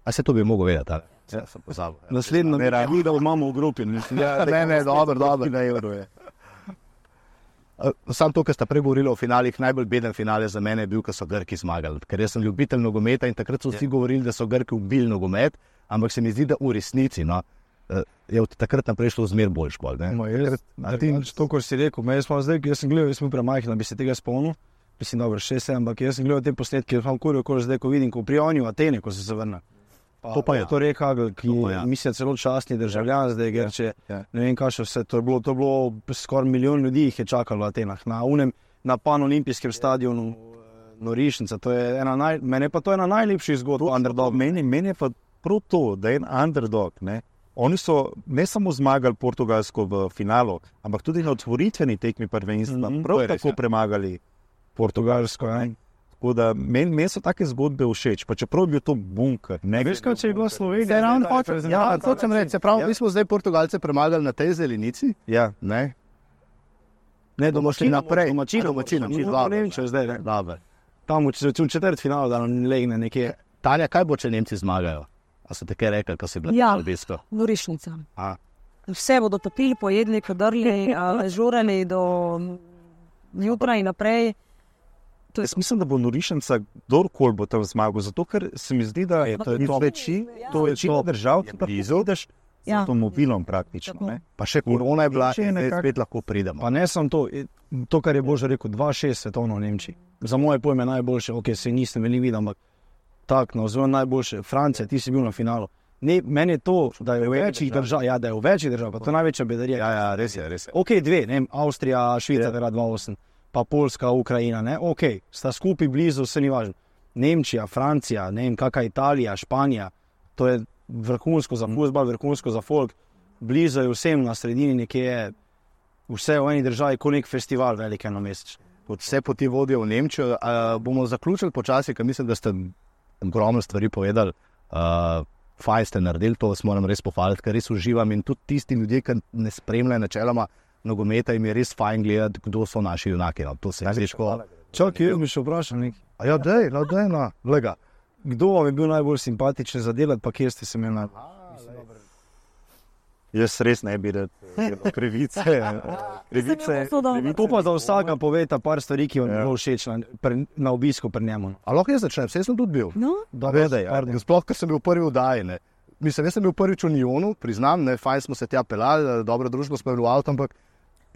a se to bi mogel vedeti, ali? Ja, sem pozabil.
Naslednjo mi da imamo v grupi.
Ja, ne, ne, dobro, dobro. Sam to, kar sta pregovorila o finalih, najbolj beden finale za mene je bil, ko so Grki zmagali. Ker jaz sem ljubitelj nogometa in takrat so vsi yeah. govorili, da so Grki ubili nogomet, ampak se mi zdi, da v resnici no, je od takrat naprej šlo zmer boljš bolj.
No, jaz, ti, to, kar si rekel, jaz, zdaj, jaz sem gledal, jaz sem bil premajhen, da bi se tega spomnil, mislim, dobro, šest, sedem, ampak jaz sem gledal te posnetke, jaz sem kuril, ko zdaj, ko vidim, ko pri Onju, Atene, ko se se vrne. Pa, to pa je. To reka, ki je, ja. mislim, celo častni državljan, zdaj Grče, ja. ne vem, kaj še vse, to je bilo, to je bilo skoraj milijon ljudi jih je čakalo v Atenah, na unem, na pan-olimpijskem stadionu Norišnica, to je ena naj, meni pa to je ena najlepših zgodb underdog.
Meni, meni je pa prav to, da je en underdog, ne. Oni so ne samo zmagali Portugalsko v finalu, ampak tudi na otvoritveni tekmi prvenstva, mm-hmm. prav tako premagali Portugalsko, ja. Tako da meni men so take zgodbe všeč, pa čeprav je bil to bunker.
Ne veš, kaj če je bila Slovenija?
Ja, to sem reči, se pravi, ja. mi smo zdaj Portugalce premagali na tej zelenici.
Ja.
Ne,
ne domačino
naprej.
Domačino, domačino. Nemčija zdaj, ne?
Dobre.
Tam v četrt finale, da nam legne nekje.
Tanja, kaj bo, če Nemci zmagajo? A so te kaj rekli, ko si bila
ja,
v obisko?
Ja, Norišnica.
A.
Vse bodo topili, pojedli, kadrli, žurali do jutra in naprej.
Jaz mislim, da bo Norišnica kdorkoli bo tam zmagal, zato ker se mi zdi, da je to, to veči, ja. to večina držav, ki pa izodeš z ja. avtomobilom praktično. Ne?
Pa še korona je bila, in nekak... spet lahko pridemo.
Pa ne sem to, to kar je Božo rekel, dva šest svetovno v Nemčiji. Za moje pojme najboljše, ok, se nisem veliko videl, ampak tak, no, zelo najboljše. Francija, ti si bil na finalu. Ne, meni je to, da je v večjih držav, ja, da je v večjih držav, pa to je največja bedarija.
Ja, ja, res je, res je.
Ok, dve, ne, Avstrija, Švica, ja. dva osem. Pa Poljska, Ukrajina, ne, ok, sta skupaj blizu, vse ni važno. Nemčija, Francija, ne vem, kakva Italija, Španija, to je vrhunsko za fuzbal, vrhunsko za folk, blizu je vsem na sredini, nekje je vse v eni državi, kot nek festival velik enomesečni.
Vse poti vodijo v Nemčijo. Uh, bomo zaključili počasi, ker mislim, da ste ogromno stvari povedali. Uh, fajn ste naredili, to vas moram res pohvaliti, ker res uživam in tudi tisti ljudje, ki ne spremljajo načeloma nogometa, jim je res fajn gledati, kdo so naši junaki. No. To se je težko.
Čak, jaz bi še vprašal nekaj.
A ja, dej, no, dej, no, lega.
Kdo vam je bil najbolj simpatičen za delati, pa kje ste se imeli najbolj?
Jaz res ne bi rad krivice. krivice.
To pa za vsaka poveta par stvari, ki vam je bilo všeč na, na obisku pri njemu.
A lahko jaz začnem, vse sem tudi bil.
No?
Vedaj, ja. Sploh, ker sem bil prvi v daji, ne. Mislim, jaz sem bil prvič v Njonu, priznam, ne, fajn smo se tja pelali, dobro družbo smo bili v avto, ampak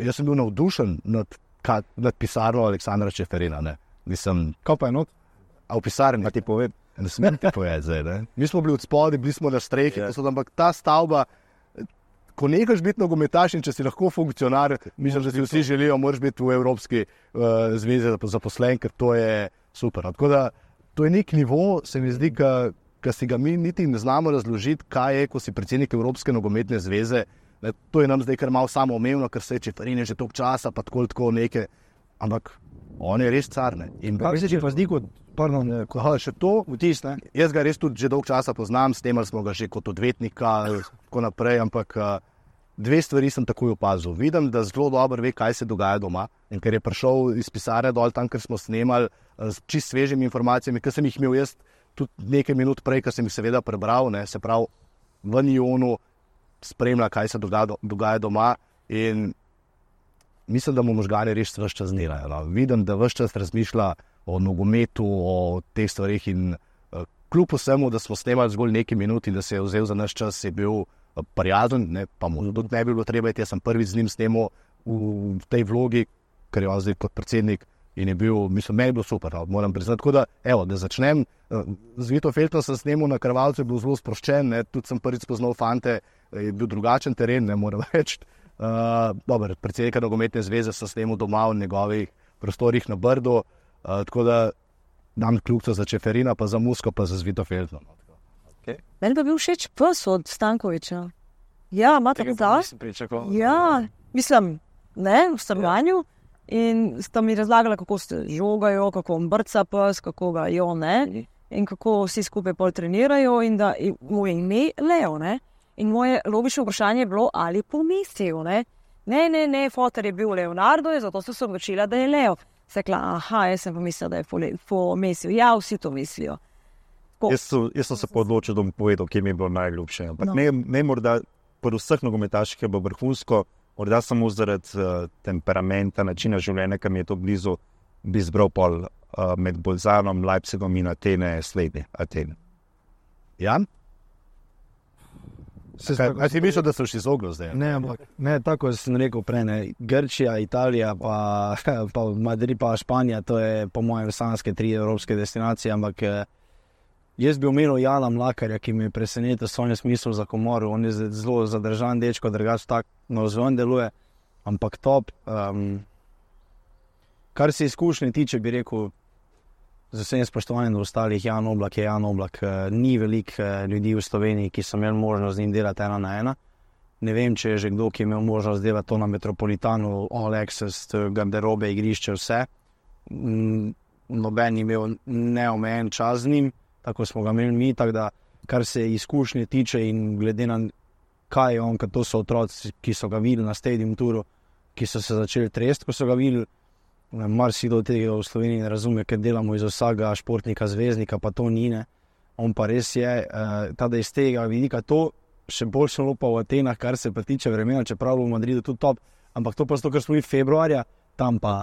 jaz sem bil navdušen nad, nad pisarno Aleksandra Čeferina, ne. Mislim,
kaj pa je not?
A v pisarni?
A ti povem?
Ne smem ti povedati zdaj, ne. Mi smo bili od spodaj, bili smo na strehi, yeah. so, ampak ta stavba, ko nekaš biti nogometaš in če si lahko funkcionar, mislim, da si vsi želijo, moraš biti v Evropski uh, zvezi zaposlen, ker to je super. Tako da, to je nek nivo, se mi zdi, ki si ga mi niti ne znamo razložiti, kaj je, ko si predsednik Evropske nogometne zveze. Ne, to je nam zdaj kar malo samoumevno, ker se je Čeferin je že toliko časa, pa tako tako neke, ampak on je res car. Ne. In
pa se pa zdi kot, pardon,
ko, aha, še to,
vtis, ne?
Jaz ga res tudi že dolgo časa poznam, snemali smo ga že kot odvetnika, tako naprej, ampak dve stvari sem takoj opazil. Vidim, da zelo dobro ve, kaj se dogaja doma, in ker je prišel iz pisarne dol tam, ker smo snemali s čist svežimi informacijami, ker sem jih imel jaz tudi nekaj minut prej, ker sem jih seveda prebral, ne, se pravi v Njonu spremlja, kaj se dogaja, dogaja doma, in mislim, da mu možgani res ves čas delajo. No. Vidim, da ves čas razmišlja o nogometu, o teh stvarih in uh, kljub vsemu, da smo snemali zgolj nekaj minut in da se je vzel za naš čas, je bil uh, prijazen, ne, pa mu tudi ne bi bilo treba, jaz sem prvič z njim snemal v, v tej vlogi, ker je on zdaj kot predsednik in je bil, mislim, meni je bilo super, no, moram priznati. Tako da, evo, da začnem, uh, z Vito Feltno sem snemal na Krvavcu, je bil zelo sproščen, ne, tudi sem prvič spoznal fante, je bil drugačen teren, ne moram reči. Uh, dober, predsednika nogometne zveze sem snemal doma v njegovih prostorih na Brdu, uh, tako da dam kljubico za Čeferina, pa za Musko, pa za Vito Feltno.
Okay. Meni pa bil všeč pes od Stankoviča. Ja, imate
psa?
Ja, mislim, ne, v stanovanju. In sta mi razlagala, kako se žogajo, kako on brca pes, kako ga jo, ne, in kako vsi skupaj pol trenirajo in da mu je ime Leo, ne. In moje logično vprašanje je bilo, ali pomislil, ne. Ne, ne, ne, foter je bil Leonardo, zato sem se odločila, da je Leo. Sekla, aha, jaz sem pomislila, da je pomislil. Ja, vsi to mislijo.
Jaz, so, jaz sem se podločil, da bom povedal, kje mi je bilo najljubše. Ampak no. ne, ne morda, pri vseh nogometaših je bilo vrhunsko, morda samo zaradi uh, temperamenta, načina življenja, ki mi je to blizu, bi izbral pol uh, med Bolzanom, Leipzigom in Atene, slednje Atene.
Jan? A si mislil, da so še izoglo zdaj?
Ne, ampak, ne, tako sem rekel prej, ne. Grčija, Italija, pa, pa Madrid, pa Španija, to je po mojem sanske tri evropske destinacije, ampak jaz bi omenil Jana Mlakarja, ki mi je presenetil s svojim smislom za komoru. On je zelo zadržan dečko, drugače tak navzven deluje, ampak top. Um, kar se izkušnje tiče, bi rekel, z vsem spoštovanjem do ostalih, Jan Oblak je Jan Oblak. Ni veliko ljudi v Sloveniji, ki so imeli možnost z njim delati ena na ena. Ne vem, če je že kdo, ki je imel možnost delati to na Metropolitanu, all access, garderobe, igrišče, vse. Noben je imel neomejen čas z njim, tako smo ga imeli mi, tako da kar se izkušnje tiče in glede na kaj je on, ker to so otroci, ki so ga videli na stadium turu, ki so se začeli tresti, ko so ga videli. Marsikdo tega v Sloveniji ne razume, ker delamo iz vsakega športnika, zvezdnika, pa to ni, ne. On pa res je, uh, tada iz tega vidika to še bolj šlo pa v Atenah, kar se pa tiče vremena, čeprav v Madridu tudi top, ampak to pa zato, ker smo mi februarja, tam pa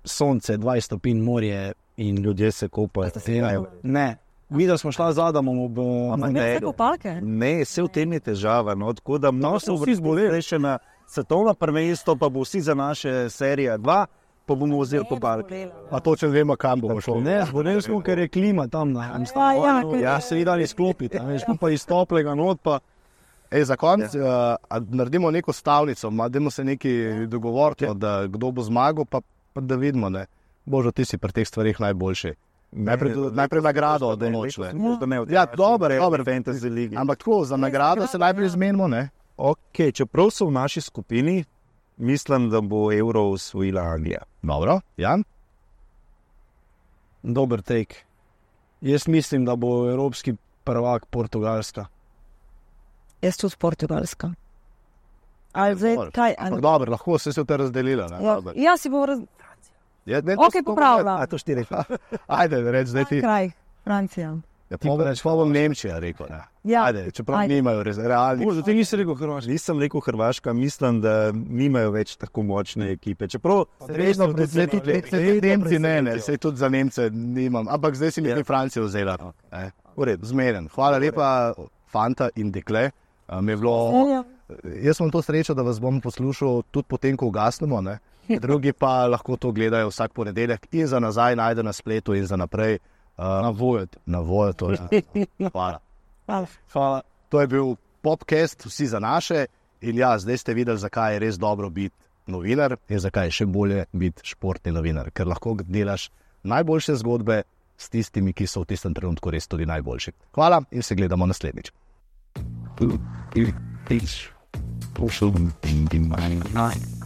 sonce, dvajset stopinj, morje in ljudje se kopajo. Ne, videli smo šla z Adamom ob...
Ne, vse kopalke?
Ne, vse v tem je težava, no, tako da mnogo se vsi zboleli še na svetovno prvenstvo, pa bo vsi za naše serije dva, pa bomo vzeli kopalke.
A točno vemo, kam bomo šli.
Ne, zboleli smo, ker je klima tam na
ja, ja,
ja, se ni dali sklopiti, veš, pa iz toplega not pa...
Ej, za konc, ja. uh, naredimo neko stavnico, dajmo se nekaj dogovoriti, ja. Da kdo bo zmagal, pa, pa da vidimo, ne. Božo, ti si pri teh stvarih najboljši. Najprej, ne, najprej nagrado določile. Ja, dobro, dobro.
Fantasy ligi.
Ampak tako, za nagrado se najprej zmenimo, ne?
Ok, čeprav so v naši skupini, mislim, da bo Euro osvojila Anglija.
Dobro, Jan?
Dober take. Jaz mislim, da bo evropski prvak Portugalska.
Jaz tudi Portugalska. Ali zdaj, kaj?
Ampak dobro, lahko se se te razdelila. Ne?
Ja, ja, si bo raz...
Ja, ne,
ok, popravila.
A to štiri.
Ajde, reč, zdaj ti...
Kraj, Francija.
Ja, pa bom Nemčija rekel, ne.
Ja.
Ajde, čeprav ajde. Nimajo res realnih.
Možda ti nisi rekel Hrvaška.
Nisem rekel Hrvaška, mislim, da nimajo več tako močne ekipe. Čeprav...
Resno, zdaj tudi Nemci ne, ne, sej tudi za Nemce nimam. Ampak zdaj si mi ja. Francijo vzela. Eh, zmeren. Hvala lepa, fanta in dekle. Um, je bilo... Jaz sem to srečo, da vas bom poslušal tudi potem, ko ugasnemo, ne. Drugi pa lahko to gledajo vsak ponedeljek in za nazaj najde na spletu in za naprej. Uh, na Vojet. Na Vojet. Ja. Hvala.
Hvala.
Hvala.
To je bil podcast Vsi za naše in ja, zdaj ste videli, zakaj je res dobro biti novinar in zakaj je še bolje biti športni novinar, ker lahko delaš najboljše zgodbe s tistimi, ki so v tistem trenutku res tudi najboljši. Hvala in se gledamo naslednjič.
It's also in my mind.